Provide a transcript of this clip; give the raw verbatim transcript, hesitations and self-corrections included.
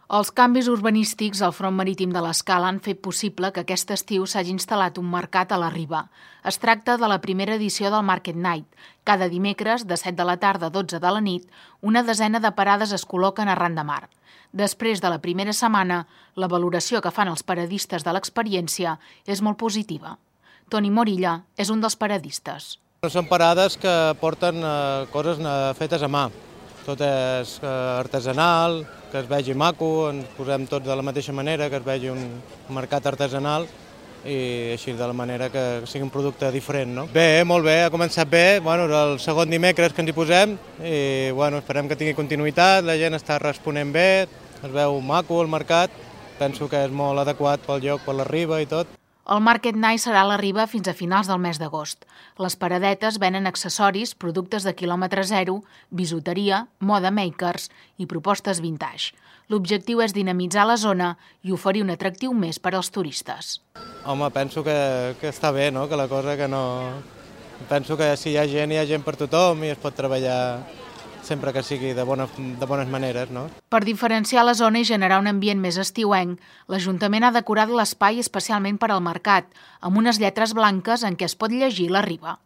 Els canvis urbanístics al front marítim de l'Escala han fet possible que aquest estiu s'hagi instal·lat un mercat a la Riba. Es tracta de la primera edició del Market Night. Cada dimecres, de set de la tarda a dotze de la nit, una desena de parades es col·loquen arran de mar. Després de la primera setmana, la valoració que fan els paradistes de l'experiència és molt positiva. Toni Morilla és un dels paradistes. Són parades que porten eh, coses fetes a mà. Tot és eh, artesanal, que es vegi maco, ens posem tots de la mateixa manera, que es vegi un mercat artesanal i així de la manera que sigui un producte diferent. No? Bé, molt bé, ha començat bé, bueno, és el segon dimecres que ens hi posem i bueno, esperem que tingui continuïtat, la gent està responent bé, es veu maco el mercat, penso que és molt adequat pel lloc, per la riba i tot. El Market Night serà a la Riba fins a finals del mes d'agost. Les paradetes venen accessoris, productes de quilòmetre zero, bisuteria, moda makers i propostes vintage. L'objectiu és dinamitzar la zona i oferir un atractiu més per als turistes. Home, penso que, que està bé, no? Que la cosa que no... Penso que si hi ha gent, hi ha gent per tothom i es pot treballar sempre que sigui de, bona, de bones maneres. No? Per diferenciar la zona i generar un ambient més estiuenc, l'Ajuntament ha decorat l'espai especialment per al mercat, amb unes lletres blanques en què es pot llegir la Riba.